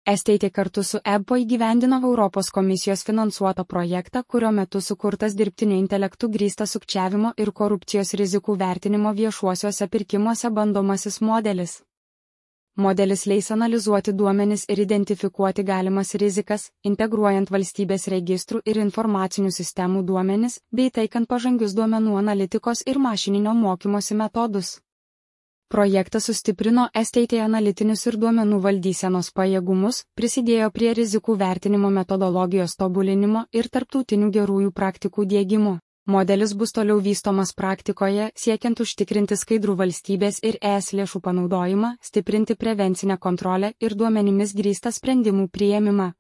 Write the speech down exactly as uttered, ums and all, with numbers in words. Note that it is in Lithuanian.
Estate kartu su E B P O įgyvendino Europos komisijos finansuotą projektą, kurio metu sukurtas dirbtinio intelektu grįstas sukčiavimo ir korupcijos rizikų vertinimo viešuosiuose pirkimuose bandomasis modelis. Modelis leis analizuoti duomenis ir identifikuoti galimas rizikas, integruojant valstybės registrų ir informacinių sistemų duomenis, bei taikant pažangius duomenų analitikos ir mašininio mokymosi metodus. Projektas sustiprino Estate analitinius ir duomenų valdysenos pajėgumus, prisidėjo prie rizikų vertinimo metodologijos tobulinimo ir tarptautinių gerųjų praktikų diegimo. Modelis bus toliau vystomas praktikoje, siekiant užtikrinti skaidrų valstybės ir E S lėšų panaudojimą, stiprinti prevencinę kontrolę ir duomenimis grįstą sprendimų priėmimą.